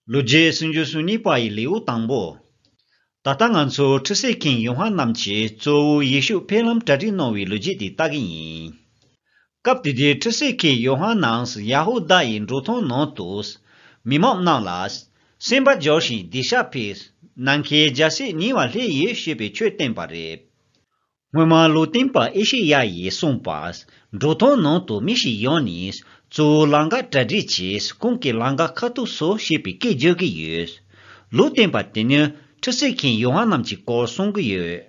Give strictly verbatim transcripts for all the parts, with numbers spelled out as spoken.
ལོ་རྒྱུས་སུམ་ཅུ་སོ་གཉིས་པ་ཡི་ལེའུ་དང་པོ། ད་ལྟ་ང་ཚོ་ཁྲུས་གསོལ་མཁན་ཡོ་ཧ་ནན་གྱིས་གཙོ་བོ་ཡེ་ཤུ་ཕེབས་ལམ་གྲ་སྒྲིག་གནང་བའི་ལོ་རྒྱུས་དེ་ལྟ་གི་ཡིན། སྐབས་དེ་དུས་ཁྲུས་གསོལ་མཁན་ཡོ་ཧ་ནན་ཡ་ཧུ་དཱ་ཡི་འབྲོག་ཐང་ནང་དུ། མི་མང་རྣམས་ལ། སེམས་པ་སྦྱོར་ཞིང་སྡིག་བཤགས་ཕུལ། ནམ་མཁའི་རྒྱལ་སྲིད་ཉེ་བར་སླེབས་ཡོད་ཞེས་པའི་ཆོས་བསྟན་པ་རེད། སྔོན་མ་ལུང་སྟོན་པ་ཨེ་ཤེ་ཡ་ཡིས་གསུངས་པ། འབྲོག་ཐང་ནང་དུ་མི་ཞིག་ཡོང་ནས། གཙོ་བོ་ལམ་ཁ་གྲ་སྒྲིག་བྱས། ཁོང་གི་ལམ་ཁ་ཁ་ཐུག་བཟོ་ཞེས་པའི་སྐད་བརྗོད་ཀྱི་ཡོད། ལུང་སྟོན་པ་དེ་ནི་ཁྲུས་གསོལ་མཁན་ཡོ་ཧ་ནན་གྱི་སྐོར་གསུང་གི་ཡོད།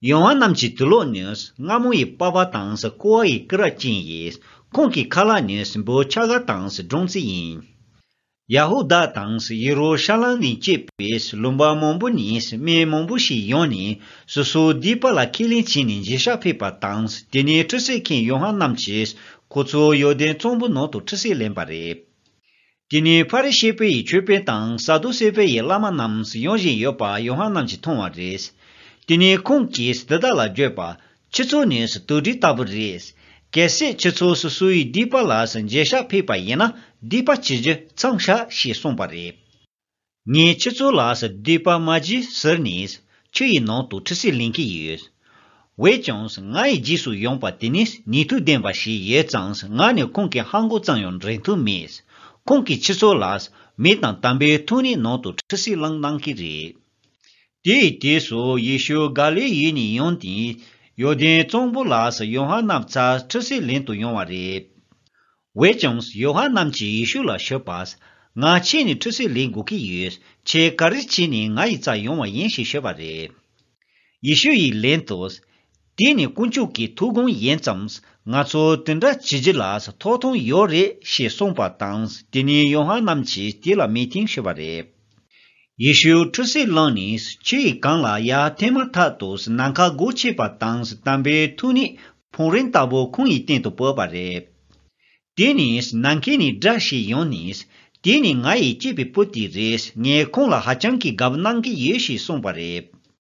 ཡོ་ཧ་ནན་གྱི་དུག་ལོག་ནི་རྔ་མོང་ཡི་པགས་པ་དང་ཀོ་བ་ཡི་སྐེ་རགས་ཅན་ཡིན། ཁོང་གི་ཁ་ལག་ནི་འབུ་ཆ་ག་དང་སྦྲང་རྩི་ཡིན། ཡ་ཧུ་དཱ་དང་ཡེ་རུ་ཤ་ལམ་ནས་སྐྱེས་པའི་ལུང་པ་མང་པོ་ནས་མི་མང་པོ་ཞིག་ཡོང་ནས་སོ་སོའི་སྡིག་པ་ལ་ཁས་ལེན་བྱས་ནས་འགྱོད་བཤགས་ཕུལ་བ་དང་། དེ་ནས་ཁྲུས་གསོལ་མཁན་ཡོ་ཧ་ནན་གྱིས་ཁོ་ཚོ་ཡོར་དན་གཙང་པོ་ནང་དུ་ཁྲུས་གསོལ་ལེན་པ་རེད། དེ་ནས་ཕ་རི་ཤི་པ་ཡི་ཆོས་དཔོན་དང་ས་དུ་སེ་པ་ཡི་བླ་མ་རྣམས་ཡོང་བཞིན་ཡོད་པ་ཡོ་ཧ་ནན་གྱིས་མཐོང་བ་རེད། དེ་ནས་ཁོང་གིས་འདི་དག་ལ་བརྗོད་པ། ཁྱེད་ཚོ་ནི་དུག་སྦྲུལ་ལྟ་བུ་རེད། གལ་སྲིད་ཁྱེད་ཚོ་སོ་སོའི་སྡིག་པ་ལ་འགྱོད་བཤགས་ཕུལ་བ་ཡིན་ན། སྡིག་པ་བྱེད་རྒྱུ་མཚམས་བཞག་ཞེས་གསུངས་པ་རེད། ངས་ཁྱེད་ཚོ་ལ་སྡིག་པ་མ་བགྱིད་ཟེར་ནས་ཆུ་ཡི་ནང་དུ་ཁྲུས་གསོལ་ལེན་གྱི་ཡོད། འོན་ཀྱང་ང་ཡི་རྗེས་སུ་ཡོང་བ་དེ་ནི་ནུས་མཐུ་ལྡན་པ་ཞིག་ཡོད་ཙང་། ང་ནི་ཁོང་གི་ལྷམ་གོག་ཙམ་ཡང་འདྲེན་ཐུབ་མེད། ཁོང་གིས་ཁྱེད་ཚོ་ལ་མེ་དང་དམ་པའི་ཐུགས་ཉིད་ནང་དུ་ཁྲུས་གསོལ་བླངས་གནང་གི་རེད། དེའི་དུས་སུ་ཡེ་ཤུ་ག་ལིལ་ཡུལ་ནས་ཡོང་སྟེ། ཡོར་དན་གཙང་པོ་ལ་ཡོ་ཧ་ནན་རྩར་ཁྲུས་གསོལ་ལེན་དུ་ཡོང་བ་རེད། འོན་ཀྱང་ཡོ་ཧ་ནན་གྱིས་ཡེ་ཤུ་ལ་ཞུས་པ། ང་ཁྱེད་ནི་ཁྲུས་གསོལ་ལེན་དགོས་ཀྱི་ཡོད། ཁྱེད་ག་རེ་བྱས་ནས་ང་ཡི་རྩར་ཡོང་བ་ཡིན་ཞེས་ཞུས་པ་རེད། ཡེ་ཤུ་ཡིས་ལན་དུ། དེ་ནི་དཀོན་མཆོག་གི་ཐུགས་དགོངས་ཡིན་ཙང་། ང་ཚོ་དེ་འདྲ་བྱེད་རྒྱུ་ལ་ཐོབ་ཐང་ཡོད་རེད་ཞེས་གསུངས་པ་དང་། དེ་ནས་ཡོ་ཧ་ནན་གྱིས་དེ་ལ་མོས་མཐུན་ཞུས་པ་རེད། ཡེ་ཤུ་ཁྲུས་གསོལ་བླངས་ནས་ཆུ་ཡི་སྒང་ལ་ཡར་ཐོན་མ་ཐག་ཏུ་ནམ་མཁའ་སྒོ་ཕྱེས་པ་དང་། དམ་པའི་ཐུགས་ཉིད་ཕུང་རིང་ལྟ་བུ་ཁོང་ཡི་སྟེང་དུ་བབས་པ་རེད། དེ་ནས་ནམ་མཁའ་ནས་སྒྲ་ཞིག་ཡོང་ནས། དེ་ནི་ང་ཡི་གཅེས་པའི་བུ་དེ་རེད། ངས་ཁོང་ལ་ཧ་ཅང་གི་དགའ་པོ་གནང་གི་ཡོད་ཞེས་གསུངས་པ་རེད།